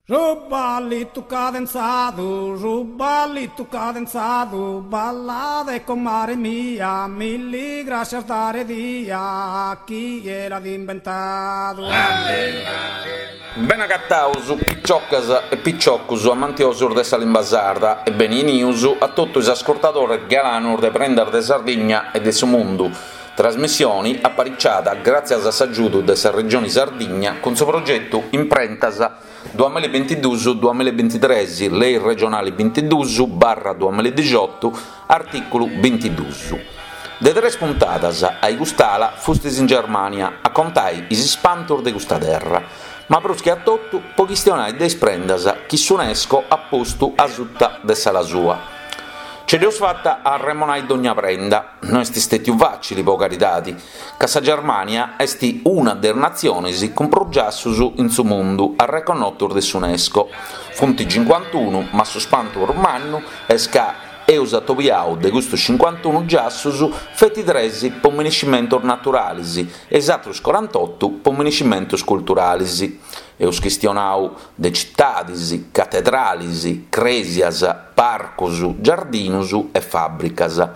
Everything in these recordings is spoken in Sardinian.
Su ballitu cadenzadu, su ballitu cadenzadu, ballade comare mia, milli grascias dare dia, chie l'at imbentadu. Bene agataus piciocas e piciocus amantiosus de sa limba sarda e beni 'enius a totu is ascurtadores galanus de Prendas de Sardigna e de su Mundu, trasmissioni apariciada gràtzias a s'agiudu de sa Regioni Sardigna cun su progetu Imprentas duamillabintiduus duamillabintitres, Lei regionali bintiduus barra duamilladixotu, artìculu bintiduus. De tres puntadas a-i cust'ala fustis in Germània a contai is ispantus de custa terra, ma prus che a totu po chistionai de is prendas chi s'Unesco at postu asuta de s'ala sua. Ce dd'eus fata a arremonai dogna prenda, no est stètiu fàcili po caridadi, ca sa Germània est una de is natzionis cun prus giassus in su mundu arreconnotus de s'Unesco, funt cincuantunu, ma su spantu prus mannu est ca eus atobiau de custus cincuantunu giassus feti tres po miniscimentus naturalis e is atrus corantotu po miniscimentus culturalis. Eus chistionau de citadis, catedralis, crèsias, parcus, giardinus e fàbricas.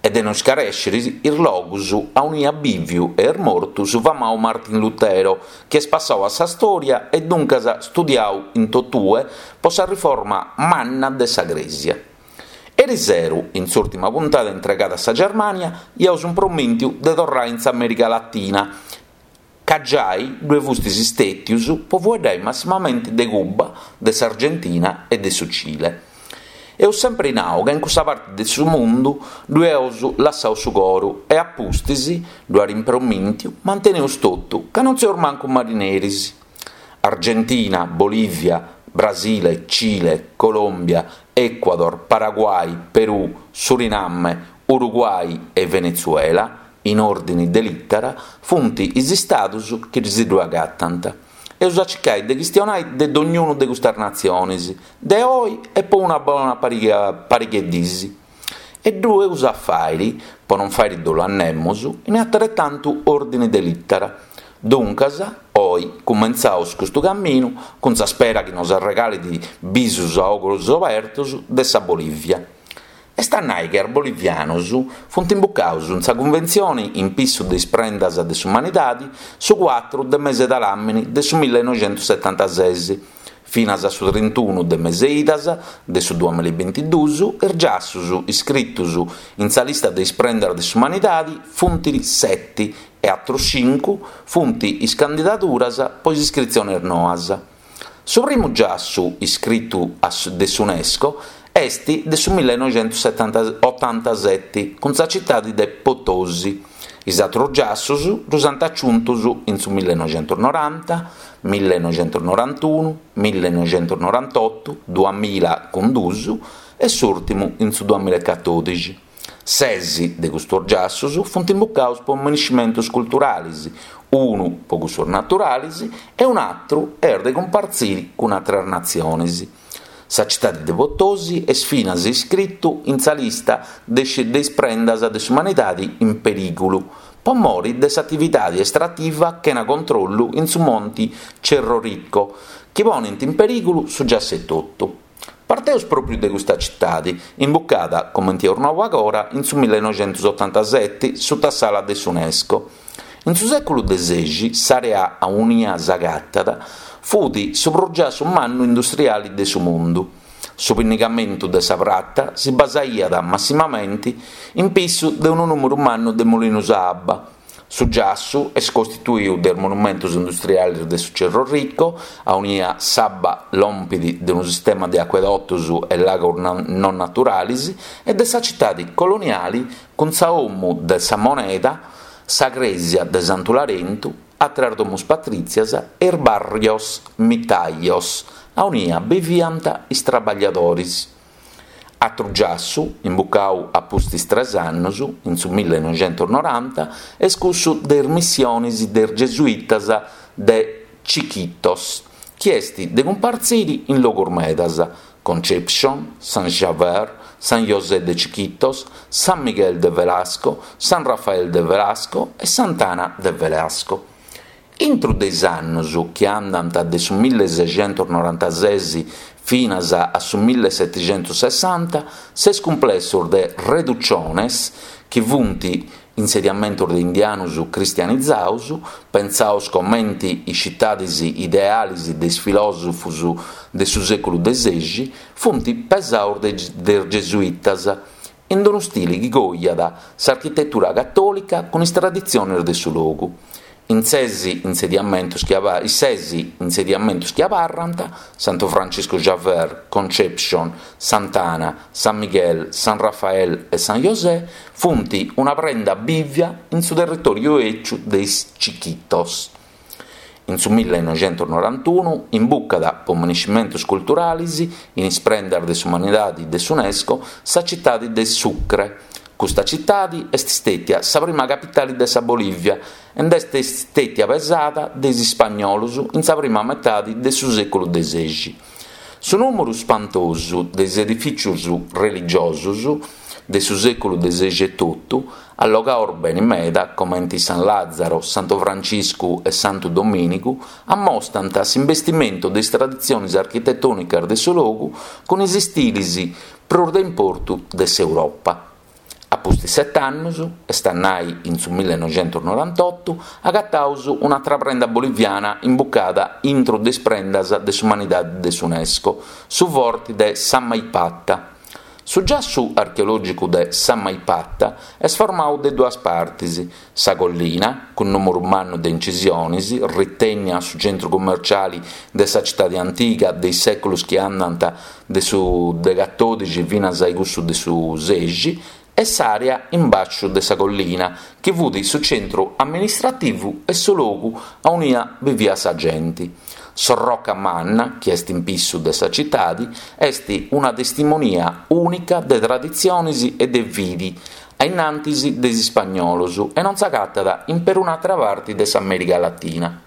E de no iscarèsciri is logus aunia at bìviu e est mortu su famau Martin Lutero, chi est passau a sa stòria e duncas studiau in totue po sa riforma manna de sa crèsia. Eriseru, in s'ùrtima puntada intregada a sa Germània, iaus impromìntiu de torrai in s'Amèrica Latina, ca giai ddue fustis stètius po fueddai massimamenti de Cuba, de s'Argentina e de su Cile. Eus sempri nau ca in cussa parti de su mundu ddue eus lassau su coru e a pustis, ddu at impromìntiu, manteneus totu ca non seus mancu marineris. Argentina, Bolivia, Brasile, Cile, Colòmbia, Ecuador, Paraguay, Perù, Suriname, Uruguay e Venezuela, in òrdini de lìtera, funt is istadus chi si ddue agatant. Eus a circai de chistionai de dognunu de custas natzionis, de oi e po una bona pariga 'e dis. E ddu eus a fàiri, po non fàiri dolu a nemus, in ateretantu òrdini de lìtera. Duncas, oi cumentzaus custu caminu cun sa spera chi nos arregalit bisus a ogros obertos de sa Bolìvia. Est a nai chi is bolivianus funt imbucaus in sa cunventzioni in pissu de is prendas de s'umanidadi su cuatru de mese de ladàmini de su millenoixentussetantases, finas a su trintunu de mese idas de su duamillabintiduus is giassus iscritus in sa lista de is prendas de s'umanidadi funt seti e atrus cincu funt is candidaduras po is iscritzionis noas. Su primu giassu iscritu de s'Unesco est de su millenoixentusetantaottantaseti cun sa citadi de Potosí. Is atrus giassus ddus ant aciuntus in su millenoixentusnoranta, millenoixentusnorantunu, millenoixentusnorantotu, duamilla cun dus e s'ùrtimu in su duamillacatòdixi. Ses de custus giassus funt imbucaus po miniscimentus culturalis, unu po cussus naturalis e un'atru est de cumpartziri cun atras natzionis. Sa citadi de Potosí est finas iscritu in sa lista de is prendas de s'umanidadi in perìgulu po mori de s'atividadi estrativa chena controllu in su monti Cerro Rico, chi ponint in perìgulu su giassu etotu. Parteus pròpriu de custa citadi, imbucada, comenti eus nau agora, in su millenoixentusotantaseti suta s'ala de s'Unesco. In su sèculu de sexi s'àrea aunia s'agatat fut su prus giassu mannu industriali de su mundu. Su pinnigamentu de sa prata si basaiat massimamenti in pissu de unu nùmeru mannu de mulinus a abba. Su giassu est costituiu de is monumentus industrialis de su Cerro Rico, aunia s'abba lompit de unu sistema de acuedotus e lagos non naturalis, e de sa citadi coloniali cun sa 'omu de sa moneda, sa crèsia de Santu Larentu, àteras domus patrìtzias e is barrios mitaios, aunia biviant is traballiadoris. Atru giassu, imbucau a pustis tres annus, in su millenoixentusnoranta, est cussu de is missionis de is gesuitas de Chiquitos, chi est de cumpartziri in logus medas, Concepcion, San Javier, San José de Chiquitos, San Miguel de Velasco, San Rafael de Velasco e Sant'Ana de Velasco. Intru de is annus chi andant de su millesexentusnorantases finas a su millesetixentussessanta, ses cumplessos de reducciones, chi funt insediamentos de indianus cristianizados, pentzados comenti is citadis idealis de is filòsofos de su sèculu de sexi, funt pesados de is gesuitas, in unu stili chi coiat s'architetura catòlica cun is traditziones de su logu. In ses insediamentos chi is ses insediamentos chi abarrant, Santu Franciscu Xaver, Concepcion, Sant'Ana, San Miguel, San Rafael e San José, funt una prenda bìvia in su territòriu 'eciu de is Chiquitos. In su millenoixentusnorantunu imbucat po minescimentos culturalis in is prendas de s'umanidadi de s'Unesco sa citadi de Sucre. Custa citadi est stètia sa prima capitali de sa Bolìvia e nd'est stètia pesada de is ispagnolos in sa prima metadi de su sèculu de sexi. Su nùmeru spantosu de is edifìtzios religiosos de su sèculu de sexi etotu, allogados beni meda comente San Làzaro, Santu Franciscu e Santu Domìnigu, ammostant s'imbestimentu de is traditziones architetònicas de su logu cun is istilis prus de importu de s'Europa. A pustis set'annus, est a nai in su millenoixentusnorantotu, agataus un'atra prenda boliviana imbucada intro de is prendas de s'umanidadi de s'Unesco, su forti de Samaipata. Su giassu archeològicu de Samaipata est formadu de duas partis, sa collina, cun nùmeru mannu de incisionis, ritènnia su centru cummerciali de sa citadi antiga de is sèculos chi andant de su de catòdixi finas a cussu de su sexi, e s'àrea in bàsciu de sa collina, chi fut su centru amministrativu e su logu aunia biviat sa genti. S'orroca manna, chi est in pissu de sa citadi, est una testimonia ùnica de traditzionis e de fidi a innantis de is ispagnolos e non s'agatat in perun'atra parti de s'Amèrica Latina.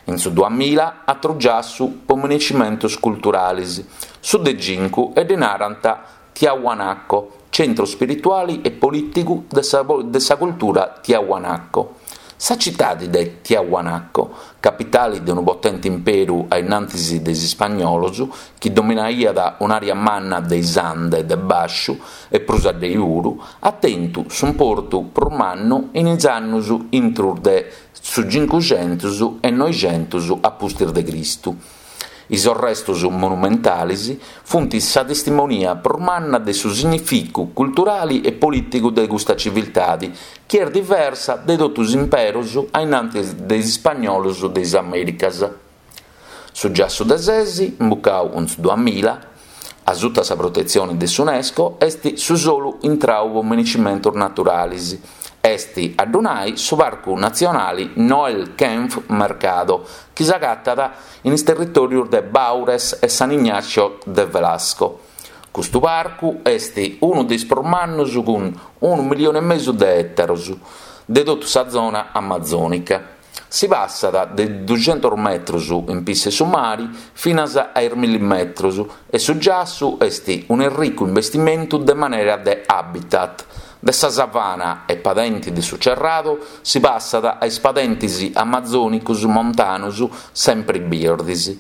In su duamilla atru giassu po minescimentos culturalis, su de cincu e ddi narant Tiahuanaco, centru spirituali e polìticu de sa de sa cultura Tiahuanaco. Sa citadi de Tiahuanaco, capitali de unu potente imperu a innantis de is ispagnolos, chi dominaiat un'àrea manna de is Ande de bàsciu e prus addei puru, at tentu s'importu prus mannu in is annus intru de su cincuxentus e noixentus a pustis de Cristu. Is orrestos monumentales funt sa testimonia prus manna de su significu culturale e polìticu de custa civiltade, chi est diversa de totu is imperos a innantis de is ispagnolos de is Amèricas. Su giassu de sesi, imbucau in su duamilla, a suta sa protetzione de s'Unesco, est su solu intrau po minescimentos naturales, est a ddu nai su Parcu Natzionali Noel Kempff Mercado, chi s'agatat in is territòrios de Baures e San Ignacio de Velasco. Custu parcu est unu de is prus mannus cun unu millione e mesu de ètaros de totu sa zona amazònica. Si passat de duxentus metrus in pissu 'e su mari finas a is milli metrus e su giassu est un'erricu imbestimentu de manera de habitat. De sa savana e padenti de su Cerrado si passat a is padentis amazònicus montanus sempri birdis.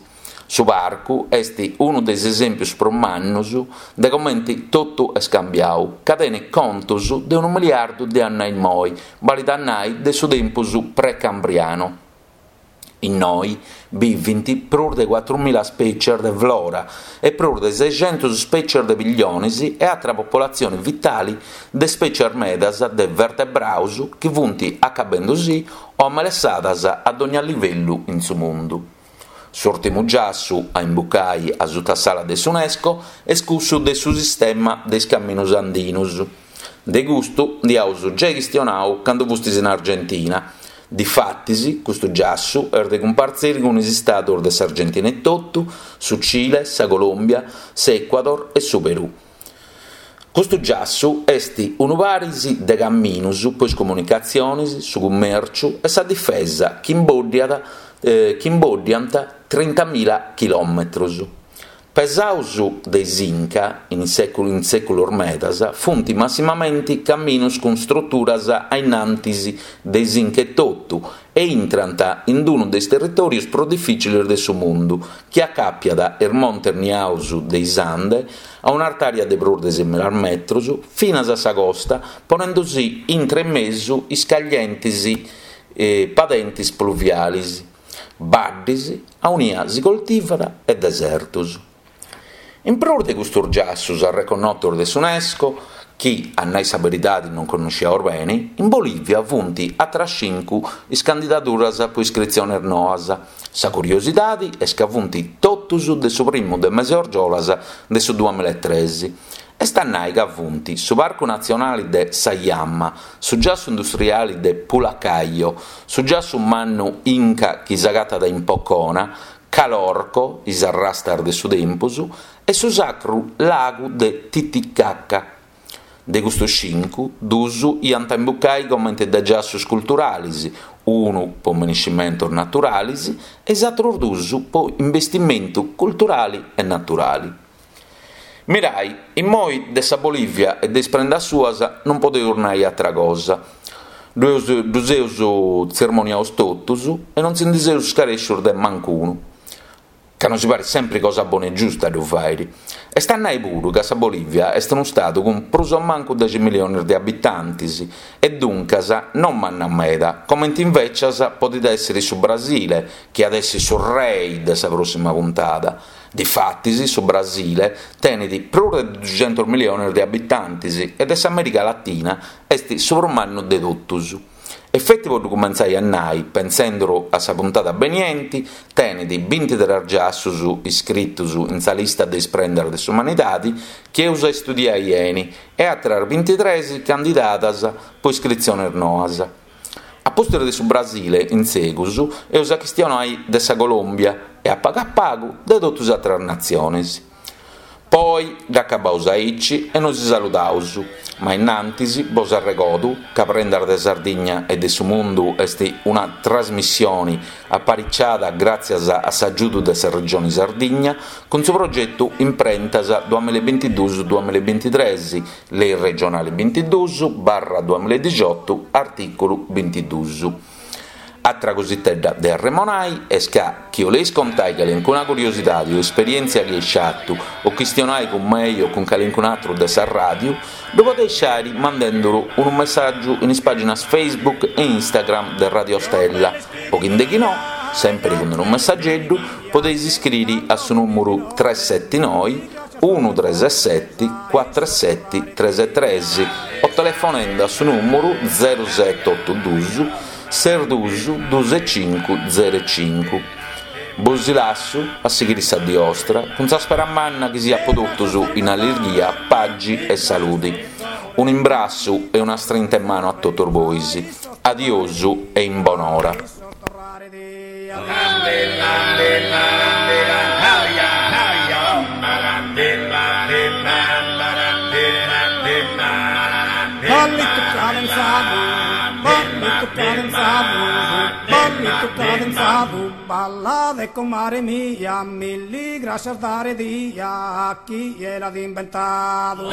Su parcu est unu de is esèmpios prus mannus de comenti totu est cambiau, ca tenit contus de unu miliardu de annu a immoi, balit a nai de su tempus precambrianu. Innoi bivint prus de cuatrumila spècies de flora e prus de sexentus spècies de pillionis e atra popolatzioni vitali de spècies medas de vertebraus chi funt acabendusì o amelessadas a dogna livellu in su mundu. S'ùrtimu giassu a imbucai a suta s'ala de s'Unesco est cussu de su sistema de is caminus andinus. De custu nd'iaus giai chistionau candu fustis in Argentina. Difatis, custu giassu est de cumpartziri cun is istados de s'Argentina etotu, su Cile, sa Colòmbia, s'Ecuador e su Perù. Custu giassu est unu paris de caminus po is comunicatzionis, su cummèrciu e sa difesa chi imbòddiat chi imbòddiant trintamila chilòmetrus. Pesaus de is Inca in in sèculos medas funt massimamenti caminus cun struturas a innantis de is Inca etotu e intrant in unu de is territòrios prus difìciles de su mundu chi acapiat is montes niaus de is Ande a un'artària de prus de semila metros finas a sa costa ponendusì intre e mesu is caglientes padentes pluviales. Baddis aunia si coltivat e desertos. In prus de custos giassos arreconnotos de s'Unesco, chi, a nai sa beridadi non connosciaus beni, in Bolivia funt atras cincu is candidaduras po iscritziones noas. Sa curiosidadi est ca funt totus de su primu de mese orgiolas de su duamilaetres. Est a nai ca funt su Parcu Natzionali de Sajama, su giassu industriali de Pulacayo, su giassu mannu Inca chi s'agatat in Pocona, Calorco, is arrastas de su tempus, e su sacru lagu de Titicaca. De custus cincu, dus iant a imbucai comente de giassus culturalis, unu po minescimentus naturalis e is atrus dus po imbestimentu culturali e naturali. Mirai, immoi de sa Bolivia e de is prendas suas non podeus nai atra cosa. Ddus eus tzermoniaus totus e non si ndi seus scarescius de mancunu. Ca nosi parit sempri cosa bona e giusta a ddu fairi. Est a nai puru ca sa Bolivia est unu stadu cun prus o mancu dexi milionis de abitantis e duncas non manna meda, comenti invecias podit essiri su Brasile, chi at essi su rei de sa prossima puntada. Difatis su Brasile tenet prus de duxentos miliones de abitantes e de s'Amèrica Latina est su prus mannu de totus. E feti po ddu cumentzai a nai, pentzenduru a sa puntada benienti, tenet bintitres giassus iscritus in sa lista de is prendas de s'umanidadi chi eus a istudiai 'eni e àteras bintitres candidadas po iscritziones noas. A pustis de su Brasile, in segus, eus a chistionai de sa Colòmbia e a pagu a pagu de totu is àteras natziones. Po oi dd'acabaus aici e nosi saludaus, ma innantis bos arregodu ca Prendas de Sardigna e de su Mundu est una trasmissioni apariciada gràtzias a s'agiudu de sa Regioni Sardigna cun su progetu Imprentas duamillabintiduus duamillabintitres, Lei regionali bintiduus barra duamiladixotu, artìculu bintiduus. Atra cositedda de arremonai est ca chi 'oleis contai calincuna curiosidadi o esperièntzia chi eis fatu o chistionai cun mei o cun calincun'atru de sa ràdiu, ddu podeis fàiri mandenduru unu messàgiu in is pàginas Facebook e Instagram de Radio Stella o chi nde chi no, sèmpiri cun unu messageddu, podeis iscriri a su nùmuru tres seti noi unu treseseti cuatreseti tresetres o telefonende a su nùmuru zeru sete otu dus ses dus dus e cincu zeru e cincu. Bosi lassu a sighiri sa dì 'ostra cun sa spera manna chi siat po totus in allirghia, pagi e saludi. Un'imbrassu e una strinta 'e manu a totus bois. Adiosu e in bonora. Ballitu cadenzadu, ballitu cadenzadu, ballitu cadenzadu, ballade comare mia, milli grascias dare dia a chie l'at imbentadu.